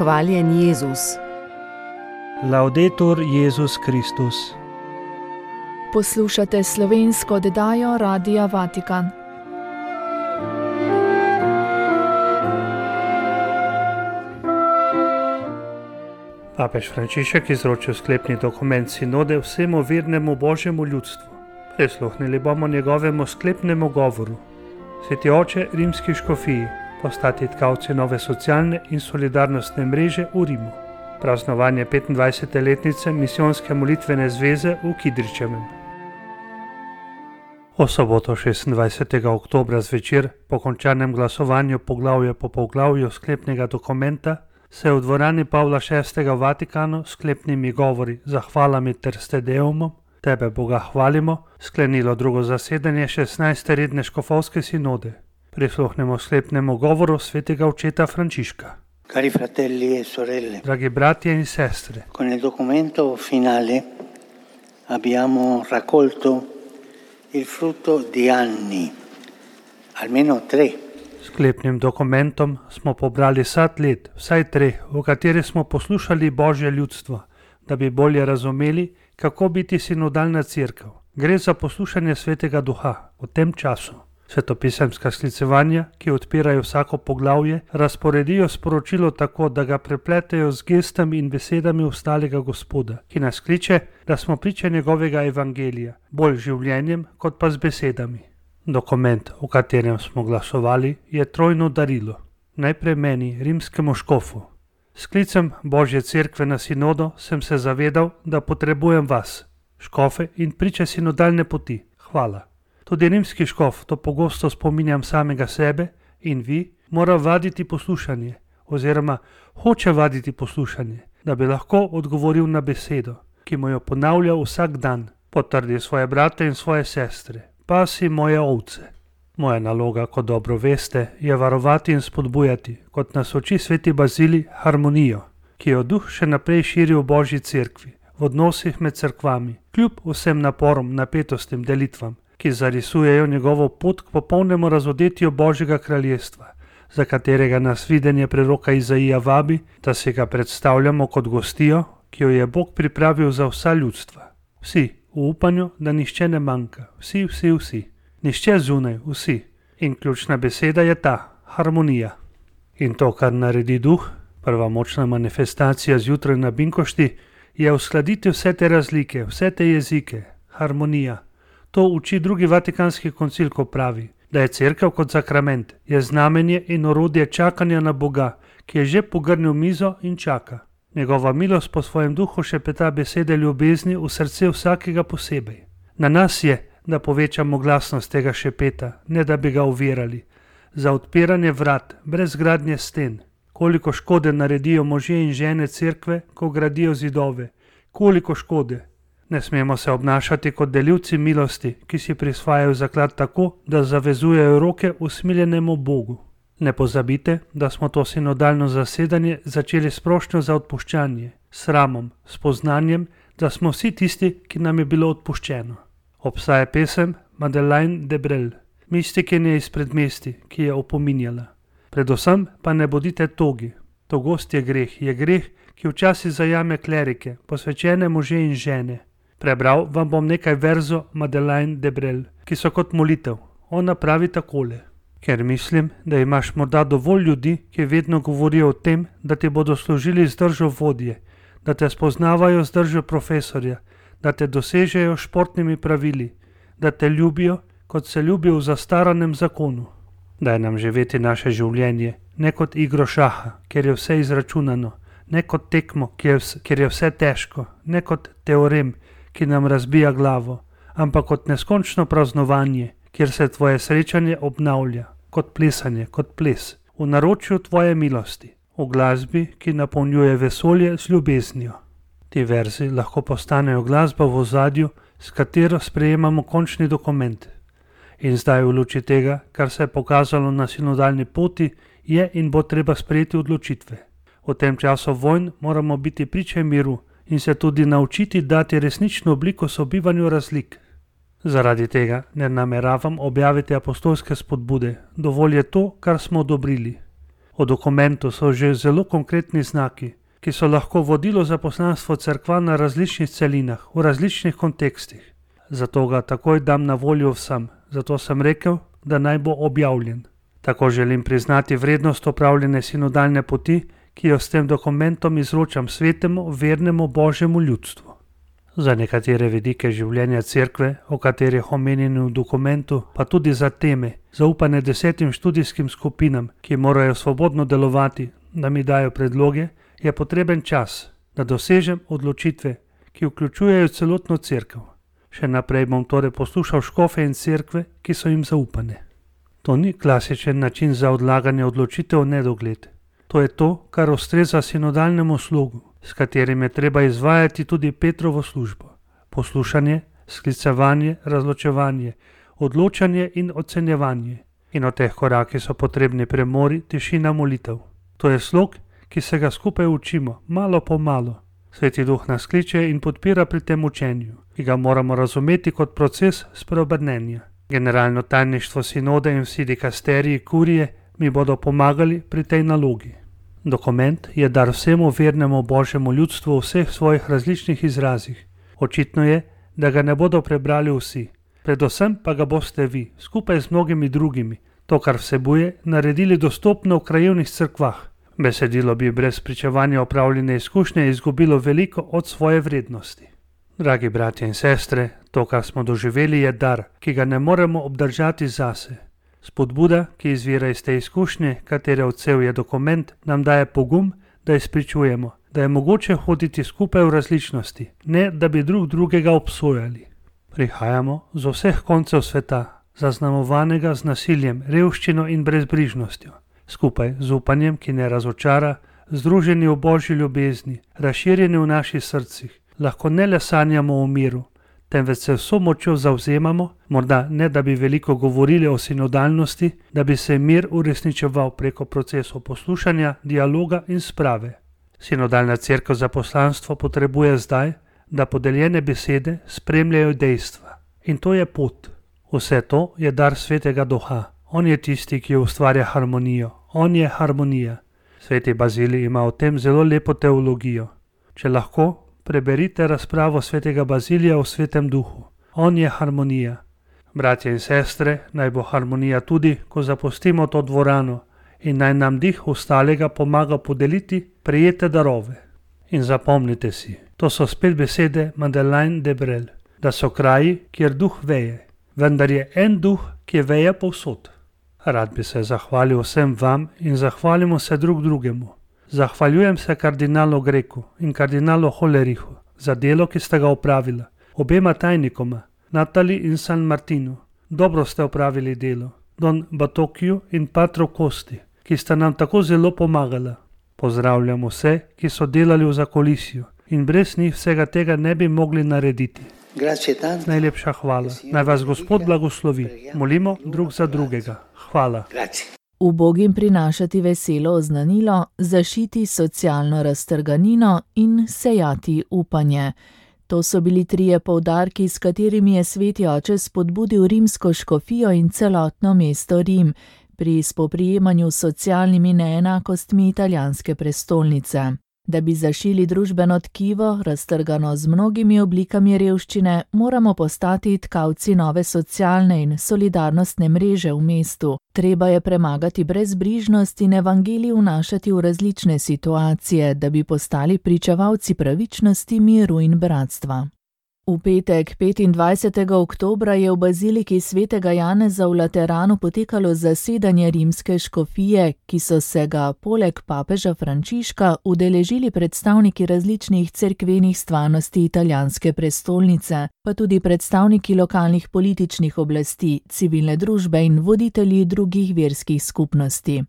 Hvaljen Jezus. Laudetur Jezus Kristus. Poslušate slovensko oddajo Radia Vatikan. Papež Frančišek izročil sklepni dokument sinode vsemu vernemu božjemu ljudstvu. Prisluhnili bomo njegovemu sklepnemu govoru. Sveti oče rimski škofiji, postati tkavci nove socialne in solidarnostne mreže v Rimu. Praznovanje 25. letnice misijonske molitvene zveze v Kidričevem. O soboto 26. oktobra zvečer, po končanem glasovanju poglavje po poglavju sklepnega dokumenta, se je v dvorani Pavla VI. V Vatikanu sklepnimi govori, zahvalami ter s Te Deumom, Tebe Boga hvalimo, sklenilo drugo zasedanje 16. redne škofovske sinode. Prisluhnemo sklepnemu govoru svetega očeta Frančiška. Cari fratelli e sorelle, Dragi bratje in sestre, con il documento finale abbiamo raccolto il frutto di anni, almeno 3. sklepnim dokumentom smo pobrali sad let, vsaj 3, v kateri smo poslušali Božje ljudstvo, da bi bolje razumeli, kako biti sinodalna cerkev. Gre za poslušanje Svetega Duha v tem času. Svetopisemska sklicevanja, ki odpirajo vsako poglavje, razporedijo sporočilo tako, da ga prepletejo z gestami in besedami ostalega Gospoda, ki nas kliče, da smo priče njegovega evangelija, bolj življenjem kot pa z besedami. Dokument, v katerem smo glasovali, je trojno darilo. Najprej meni, rimskemu škofu. S sklicem Božje cerkve na sinodo sem se zavedal, da potrebujem vas, škofe in priče sinodalne poti. Hvala. Tudi rimski škof, to pogosto spominjam samega sebe in vi, mora vaditi poslušanje, oziroma hoče vaditi poslušanje, da bi lahko odgovoril na besedo, ki mu jo ponavlja vsak dan, potrdi svoje brate in svoje sestre, pasi moje ovce. Moja naloga, kot dobro veste, je varovati in spodbujati, kot nas uči sveti Bazilij, harmonijo, ki jo Duh še naprej širi v Božji cerkvi, v odnosih med cerkvami, kljub vsem naporom, napetostim, delitvam, ki zarisujejo njegovo pot k popolnemu razodetju Božjega kraljestva, za katerega nas videnje preroka Izaija vabi, da si ga predstavljamo kot gostijo, ki jo je Bog pripravil za vsa ljudstva. Vsi, v upanju, da nihče ne manjka, vsi. Nihče zunaj, vsi. In ključna beseda je ta, harmonija. In to, kar naredi Duh, prva močna manifestacija zjutraj na Binkošti, je uskladiti vse te razlike, vse te jezike, harmonija. To uči drugi Vatikanski koncil, ko pravi, da je cerkev kot sakrament, je znamenje in orodje čakanja na Boga, ki je že pogrnil mizo in čaka. Njegova milost po svojem duhu šepeta besede ljubezni v srce vsakega posebej. Na nas je, da povečamo glasnost tega šepeta, ne da bi ga ovirali. Za odpiranje vrat, brez gradnje sten. Koliko škode naredijo možje in žene cerkve, ko gradijo zidove. Koliko škode. Ne smemo se obnašati kot delivci milosti, ki si prisvajajo zaklad tako, da zavezujejo roke usmiljenemu Bogu. Ne pozabite, da smo to sinodalno zasedanje začeli s prošnjo za odpuščanje, sramom, spoznanjem, da smo vsi tisti, ki nam je bilo odpuščeno. Obstaja pesem Madeleine de Brel, mistikinje iz predmesti, ki je opominjala. Predvsem pa ne bodite togi. Togost je greh, ki včasih zajame klerike, posvečene može in žene. Prebral vam bom nekaj verzov Madeleine de Brel, ki so kot molitev. Ona pravi takole. Ker mislim, da imaš morda dovolj ljudi, ki vedno govorijo o tem, da ti bodo služili z držo vodje, da te spoznavajo z držo profesorja, da te dosežejo športnimi pravili, da te ljubijo, kot se ljubi v zastaranem zakonu. Daj nam živeti naše življenje, ne kot igro šaha, kjer je vse izračunano, ne kot tekmo, kjer je vse težko, ne kot teorem, ki nam razbija glavo, ampak kot neskončno praznovanje, kjer se tvoje srečanje obnavlja, kot plesanje, kot ples, v naročju tvoje milosti, v glasbi, ki napolnjuje vesolje z ljubeznijo. Ti verzi lahko postanejo glasba v ozadju, s katero sprejemamo končni dokument. In zdaj v luči tega, kar se je pokazalo na sinodalni poti, je in bo treba sprejeti odločitve. V tem času vojn moramo biti priče miru in se tudi naučiti dati resnično obliko sobivanju razlik. Zaradi tega ne nameravam objaviti apostolske spodbude, dovolj je to, kar smo odobrili. V dokumentu so že zelo konkretni znaki, ki so lahko vodilo za poslanstvo cerkva na različnih celinah, v različnih kontekstih. Zato ga takoj dam na voljo vsem, zato sem rekel, da naj bo objavljen. Tako želim priznati vrednost opravljene sinodalne poti, ki jo s tem dokumentom izročam svetemu, vernemu Božjemu ljudstvu. Za nekatere vidike življenja cerkve, o katerih omenjeni v dokumentu, pa tudi za teme, zaupane 10 študijskim skupinam, ki morajo svobodno delovati, da mi dajo predloge, je potreben čas, da dosežem odločitve, ki vključujejo celotno cerkev. Še naprej bom torej poslušal škofe in cerkve, ki so jim zaupane. To ni klasičen način za odlaganje odločitev v nedogled. To je to, kar ustreza sinodalnemu slogu, s katerim je treba izvajati tudi Petrovo službo. Poslušanje, sklicevanje, razločevanje, odločanje in ocenjevanje. In od teh korakih so potrebni premori, tišina, molitev. To je slog, ki se ga skupaj učimo, malo po malo. Sveti Duh nas kliče in podpira pri tem učenju, ki ga moramo razumeti kot proces spreobrnenja. Generalno tajništvo sinode in vsi dikasteriji kurije mi bodo pomagali pri tej nalogi. Dokument je dar vsemu vernemu Božjemu ljudstvu v vseh svojih različnih izrazih. Očitno je, da ga ne bodo prebrali vsi. Predvsem pa ga boste vi, skupaj z mnogimi drugimi, to, kar vsebuje, naredili dostopno v krajevnih cerkvah. Besedilo bi brez pričevanja opravljene izkušnje izgubilo veliko od svoje vrednosti. Dragi bratje in sestre, to, kar smo doživeli, je dar, ki ga ne moremo obdržati zase. Spodbuda, ki izvira iz te izkušnje, katere odsev je dokument, nam daje pogum, da izpričujemo, da je mogoče hoditi skupaj v različnosti, ne da bi drug drugega obsojali. Prihajamo z vseh koncev sveta, zaznamovanega z nasiljem, revščino in brezbrižnostjo. Skupaj z upanjem, ki ne razočara, združeni v Božji ljubezni, razširjeni v naših srcih, lahko ne le sanjamo o miru, temveč se vso močjo zavzemamo, morda ne da bi veliko govorili o sinodalnosti, da bi se mir uresničeval preko procesov poslušanja, dialoga in sprave. Sinodalna cerkev za poslanstvo potrebuje zdaj, da podeljene besede spremljajo dejstva. In to je pot. Vse to je dar Svetega Duha. On je tisti, ki ustvarja harmonijo. On je harmonija. Sveti Bazilij ima o tem zelo lepo teologijo. Če lahko, preberite razpravo Svetega Bazilija o Svetem Duhu. On je harmonija. Bratje in sestre, naj bo harmonija tudi, ko zapustimo to dvorano in naj nam dih ostalega pomaga podeliti prejete darove. In zapomnite si, to so spet besede Madeleine de Brel, da so kraji, kjer duh veje, vendar je en duh, ki veje povsod. Rad bi se zahvalil vsem vam in zahvalimo se drug drugemu. Zahvaljujem se kardinalu Greku in kardinalu Hollerichu za delo, ki ste ga opravila, obema tajnikoma, Natali in San Martinu. Dobro ste opravili delo, Don Batokiju in Patru Kosti, ki sta nam tako zelo pomagala. Pozdravljam vse, ki so delali v zakulisju in brez njih vsega tega ne bi mogli narediti. Najlepša hvala. Naj vas Gospod blagoslovi. Molimo drug za drugega. Hvala. Ubogim prinašati veselo oznanilo, zašiti socialno raztrganino in sejati upanje. To so bili trije poudarki, s katerimi je Sveti Oče spodbudil rimsko škofijo in celotno mesto Rim pri spoprijemanju s socialnimi neenakostmi italijanske prestolnice. Da bi zašili družbeno tkivo, raztrgano z mnogimi oblikami revščine, moramo postati tkavci nove socialne in solidarnostne mreže v mestu. Treba je premagati brezbrižnost in evangelij vnašati v različne situacije, da bi postali pričevalci pravičnosti, miru in bratstva. V petek, 25. oktobra, je v baziliki svetega Janeza v Lateranu potekalo zasedanje rimske škofije, ki so se ga poleg papeža Frančiška udeležili predstavniki različnih cerkvenih stvarnosti italijanske prestolnice, pa tudi predstavniki lokalnih političnih oblasti, civilne družbe in voditelji drugih verskih skupnosti.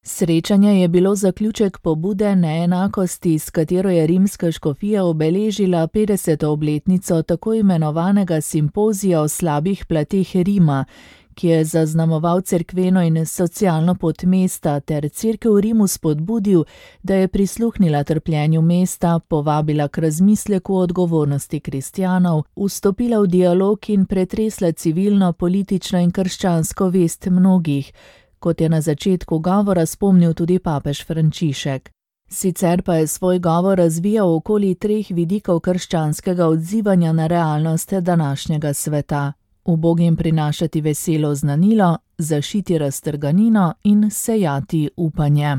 Srečanje je bilo zaključek pobude neenakosti, s katero je rimska škofija obeležila 50. obletnico tako imenovanega simpozija o slabih plateh Rima, ki je zaznamoval cerkveno in socialno pot mesta ter cerkev v Rimu spodbudil, da je prisluhnila trpljenju mesta, povabila k razmisleku o odgovornosti kristjanov, vstopila v dialog in pretresla civilno, politično in krščansko vest mnogih, kot je na začetku govora spomnil tudi papež Frančišek. Sicer pa je svoj govor razvijal okoli 3 vidikov krščanskega odzivanja na realnost današnjega sveta: ubogim prinašati veselo oznanilo, zašiti raztrganino in sejati upanje.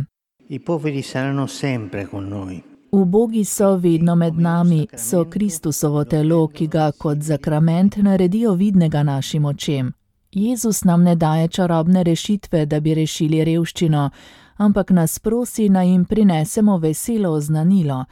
I poveri saranno sempre con noi. Ubogi so vedno med nami, so Kristusovo telo, ki ga kot zakrament naredijo vidnega našim očem. Jezus nam ne daje čarobne rešitve, da bi rešili revščino, ampak nas prosi, naj jim prinesemo veselo oznanilo.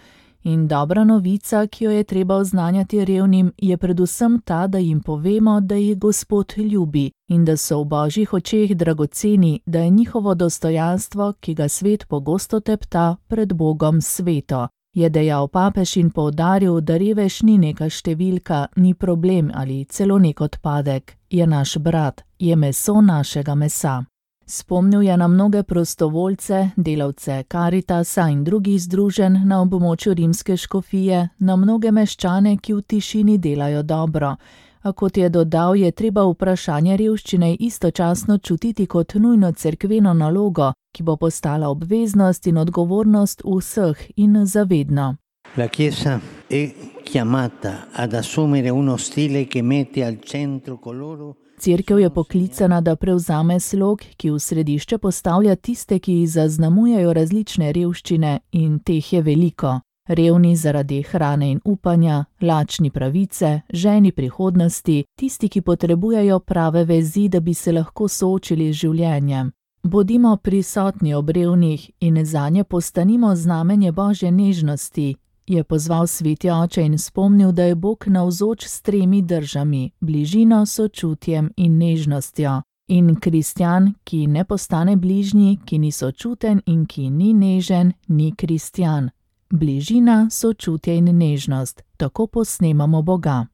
In dobra novica, ki jo je treba oznanjati revnim, je predvsem ta, da jim povemo, da jih Gospod ljubi in da so v Božjih očeh dragoceni, da je njihovo dostojanstvo, ki ga svet pogosto tepta, pred Bogom sveto. Je dejal papež in poudaril, da revež ni neka številka, ni problem ali celo nek odpadek. Je naš brat, je meso našega mesa. Spomnil je na mnoge prostovoljce, delavce Karitasa in drugih združenj na območju rimske škofije, na mnoge meščane, ki v tišini delajo dobro. A kot je dodal, je treba vprašanje revščine istočasno čutiti kot nujno cerkveno nalogo, ki bo postala obveznost in odgovornost vseh in zavedno. La Chiesa è chiamata ad assumere uno stile che mette al centro coloro. Cerkev je poklicana, da prevzame slog, ki v središče postavlja tiste, ki jih zaznamujejo različne revščine, in teh je veliko. Revni zaradi hrane in upanja, lačni pravice, ženi prihodnosti, tisti, ki potrebujejo prave vezi, da bi se lahko soočili z življenjem. Bodimo prisotni ob revnih in zanje postanimo znamenje Božje nežnosti, je pozval sveti oče in spomnil, da je Bog navzoč s 3 držami: bližino, sočutjem in nežnostjo. In kristjan, ki ne postane bližnji, ki ni sočuten in ki ni nežen, ni kristjan. Bližina, sočutje in nežnost, tako posnemamo Boga.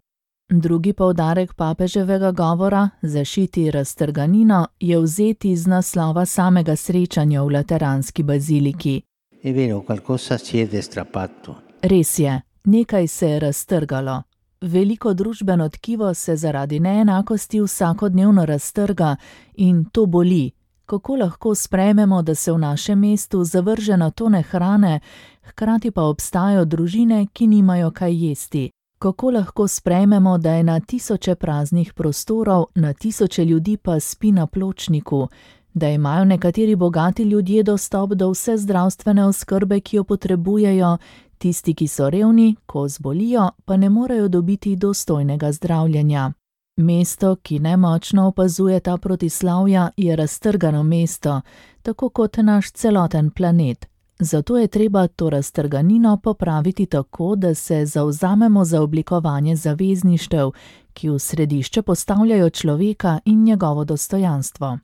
Drugi poudarek papeževega govora, zašiti raztrganino, je vzeti iz naslova samega srečanja v Lateranski baziliki. È vero, qualcosa si è strappato. Res je, nekaj se je raztrgalo. Veliko družbeno tkivo se zaradi neenakosti vsakodnevno raztrga in to boli. Kako lahko sprejmemo, da se v našem mestu zavrže na tone hrane, hkrati pa obstajajo družine, ki nimajo kaj jesti? Kako lahko sprejmemo, da je na tisoče praznih prostorov, na tisoče ljudi pa spi na pločniku, da imajo nekateri bogati ljudje dostop do vse zdravstvene oskrbe, ki jo potrebujejo, tisti, ki so revni, ko zbolijo, pa ne morejo dobiti dostojnega zdravljenja. Mesto, ki nemočno opazuje ta protislavja, je raztrgano mesto, tako kot naš celoten planet. Zato je treba to raztrganino popraviti tako, da se zavzamemo za oblikovanje zavezništev, ki v središče postavljajo človeka in njegovo dostojanstvo.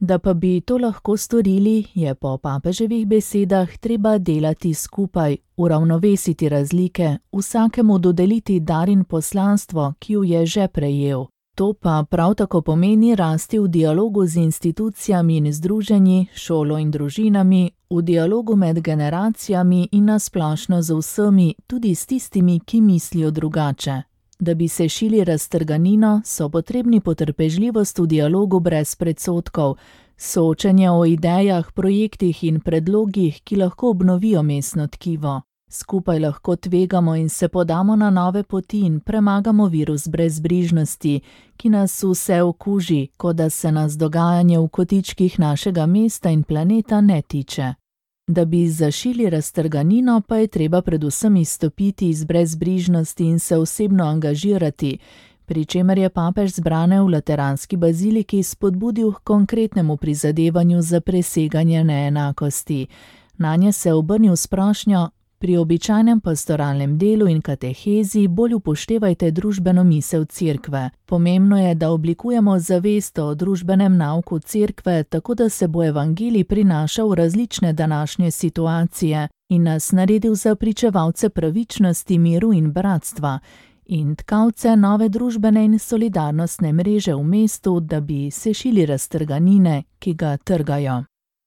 Da pa bi to lahko storili, je po papeževih besedah treba delati skupaj, uravnovesiti razlike, vsakemu dodeliti dar in poslanstvo, ki ju je že prejel. To pa prav tako pomeni rasti v dialogu z institucijami in združenji, šolo in družinami, v dialogu med generacijami in nasplošno z vsemi, tudi s tistimi, ki mislijo drugače. Da bi se šili raztrganino, so potrebni potrpežljivost v dialogu brez predsodkov, soočenje o idejah, projektih in predlogih, ki lahko obnovijo mestno tkivo. Skupaj lahko tvegamo in se podamo na nove poti in premagamo virus brezbrižnosti, ki nas vse okuži, kot da se nas dogajanje v kotičkih našega mesta in planeta ne tiče. Da bi zašili raztrganino, pa je treba predvsem izstopiti iz brezbrižnosti in se osebno angažirati, pri čemer je papež zbrane v Lateranski baziliki spodbudil k konkretnemu prizadevanju za preseganje neenakosti. Nanje se obrnil s prošnjo: pri običajnem pastoralnem delu in katehezi bolj upoštevajte družbeno misel cerkve. Pomembno je, da oblikujemo zavest o družbenem nauku cerkve, tako da se bo evangelij prinašal v različne današnje situacije in nas naredil za pričevalce pravičnosti, miru in bratstva in tkalce nove družbene in solidarnostne mreže v mestu, da bi sešili raztrganine, ki ga trgajo.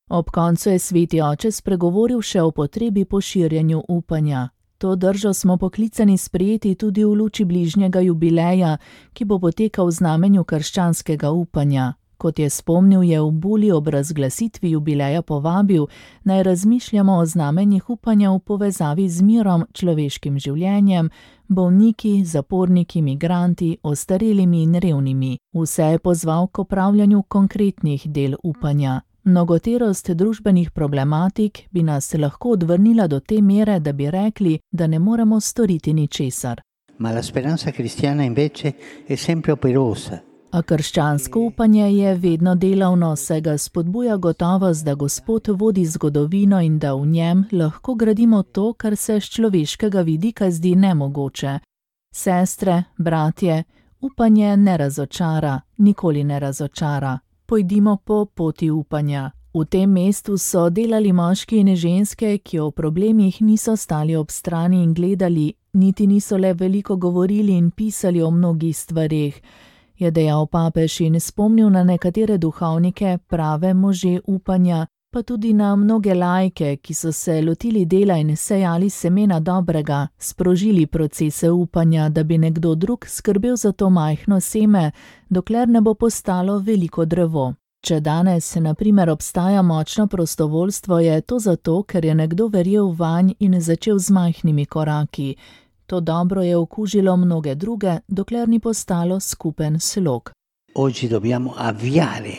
Ob koncu je sveti oče spregovoril še o potrebi po širjenju upanja. To držo smo poklicani sprejeti tudi v luči bližnjega jubileja, ki bo potekal v znamenju krščanskega upanja. Kot je spomnil, je v buli ob razglasitvi jubileja povabil, naj razmišljamo o znamenjih upanja v povezavi z mirom, človeškim življenjem, bolniki, zaporniki, migranti, ostarelimi in revnimi. Vse je pozval k opravljanju konkretnih del upanja. Mnogoterost družbenih problematik bi nas lahko odvrnila do te mere, da bi rekli, da ne moremo storiti ničesar. Ma la speranza cristiana invece è sempre operosa. A krščansko upanje je vedno delavno, saj ga spodbuja gotovost, da Gospod vodi zgodovino in da v njem lahko gradimo to, kar se s človeškega vidika zdi nemogoče. Sestre, bratje, upanje ne razočara, nikoli ne razočara. Pojdimo po poti upanja. V tem mestu so delali moški in ženske, ki o problemih niso stali ob strani in gledali, niti niso le veliko govorili in pisali o mnogih stvareh, je dejal papež in spomnil na nekatere duhovnike, prave može upanja, pa tudi na mnoge laike, ki so se lotili dela in sejali semena dobrega, sprožili procese upanja, da bi nekdo drug skrbel za to majhno seme, dokler ne bo postalo veliko drevo. Če danes, na primer, obstaja močno prostovoljstvo, je to zato, ker je nekdo verjel vanj in začel z majhnimi koraki. To dobro je okužilo mnoge druge, dokler ni postalo skupen slog. Oggi dobbiamo avviare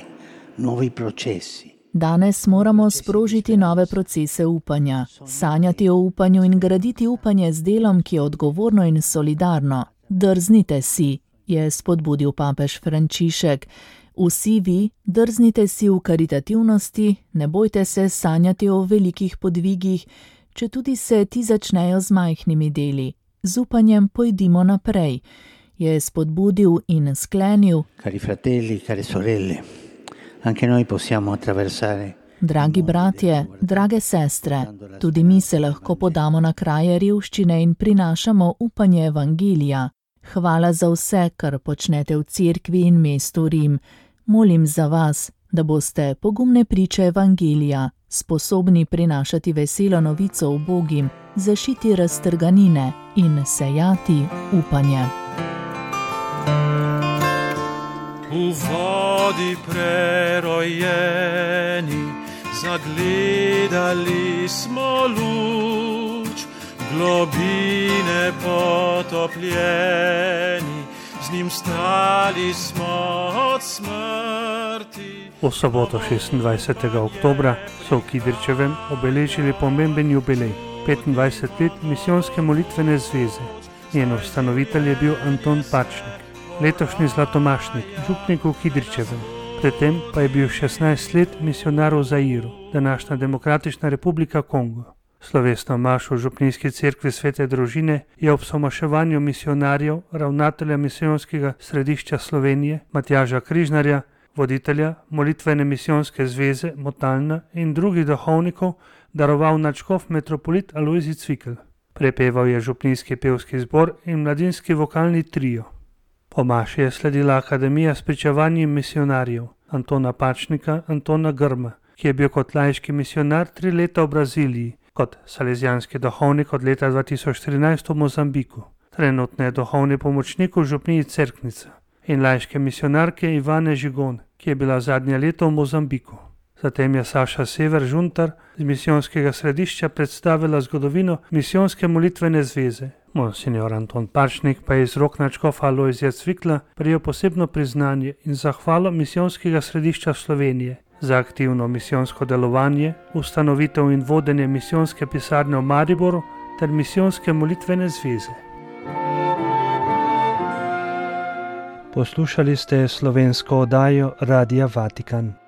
nuovi processi. Danes moramo sprožiti nove procese upanja, sanjati o upanju in graditi upanje z delom, ki je odgovorno in solidarno. Drznite si, je spodbudil papež Frančišek. Vsi vi, drznite si v karitativnosti, ne bojte se sanjati o velikih podvigih, če tudi se ti začnejo z majhnimi deli. Z upanjem pojdimo naprej, je spodbudil in sklenil. Cari fratelli, care sorelle, anche noi possiamo attraversare. Dragi bratje, drage sestre, tudi mi se lahko podamo na kraje revščine in prinašamo upanje evangelija. Hvala za vse, kar počnete v cerkvi in mestu Rim. Molim za vas, da boste pogumne priče evangelija, sposobni prinašati veselo novico ubogim, zašiti raztrganine in sejati upanje. V vodi prerojeni, zagledali smo luč, globine potopljeni, z njim stali smo od smrti. V soboto 26. oktobra so v Kidričevem obeležili pomemben jubilej, 25 let misijonske molitvene zveze. Njen ustanovitelj je bil Anton Pačnik, letošnji zlatomašnik, župnik v Kidričevem. Predtem pa je bil 16 let misijonar v Zairu, današnja Demokratična republika Kongo. Slovesno mašo v župnijski cerkvi Svete družine je ob somaševanju misijonarjev, ravnatelja misijonskega središča Slovenije, Matjaža Križnarja, voditelja molitvene misijonske zveze Motalna in drugih duhovnikov daroval nadškof metropolit Alojzij Cvikl. Prepeval je župnijski pevski zbor in mladinski vokalni trio. Po maši je sledila akademija spričevanj misijonarjev Antona Pačnika, Antona Grma, ki je bil kot laiški misijonar 3 leta v Braziliji, kot salezijanski duhovnik od leta 2013 v Mozambiku. Trenutno je duhovni pomočnik v župniji Cerknica in laiške misijonarke Ivane Žigon, ki je bila zadnje leto v Mozambiku. Zatem je Saša Sever Žuntar z misijonskega središča predstavila zgodovino misijonske molitvene zveze. Monsignor Anton Pačnik pa je iz rok nadškofa Alojzija Cvikla prejel posebno priznanje in zahvalo misijonskega središča Slovenije za aktivno misijonsko delovanje, ustanovitev in vodenje misijonske pisarne v Mariboru ter misijonske molitvene zveze. Poslušali ste slovensko oddajo Radia Vatikan.